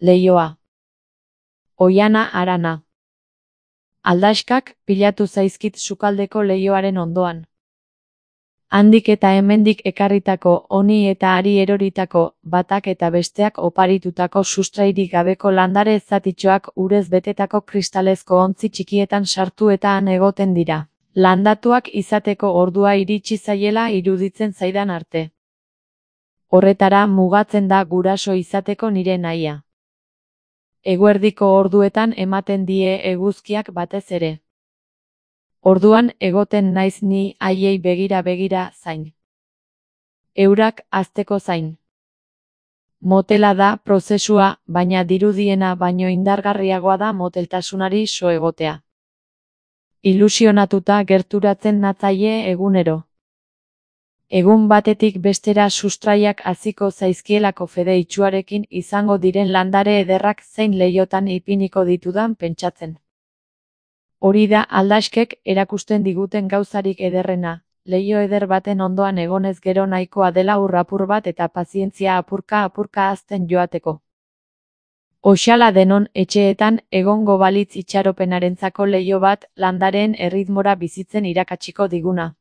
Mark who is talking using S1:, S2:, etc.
S1: Leioa. Oiana harana. Aldaskak pilatu zaizkit sukaldeko leihoaren ondoan. Handik eta hemendik ekarritako, honi eta hari eroritako, batak eta besteak oparitutako sustrairik gabeko landare zatitxoak urez betetako kristalezko ontzi txikietan sartu eta han egoten dira. Landatuak izateko ordua iritsi zaiela iruditzen zaidan arte. Horretara mugatzen da guraso izateko nire nahia. Eguerdiko orduetan ematen die eguzkiak batez ere. Orduan egoten naiz ni haiei begira zain. Eurak hazteko zain. Motela da prozesua, baina dirudiena baino indargarriagoa da moteltasunari so egotea. Ilusionatuta gerturatzen natzaie egunero. Egun batetik bestera sustraiak haziko zaizkielako fede itxuarekin izango diren landare ederrak zein leihotan ipiniko ditudan pentsatzen. Hori da aldaskek erakusten diguten gauzarik ederrena, leiho eder baten ondoan egonez gero nahikoa dela ur apur bat eta pazientzia apurka hazten joateko. Oxala denon etxeetan egongo balitz itxaropenarentzako leiho bat, landareen erritmora bizitzen irakatsiko diguna.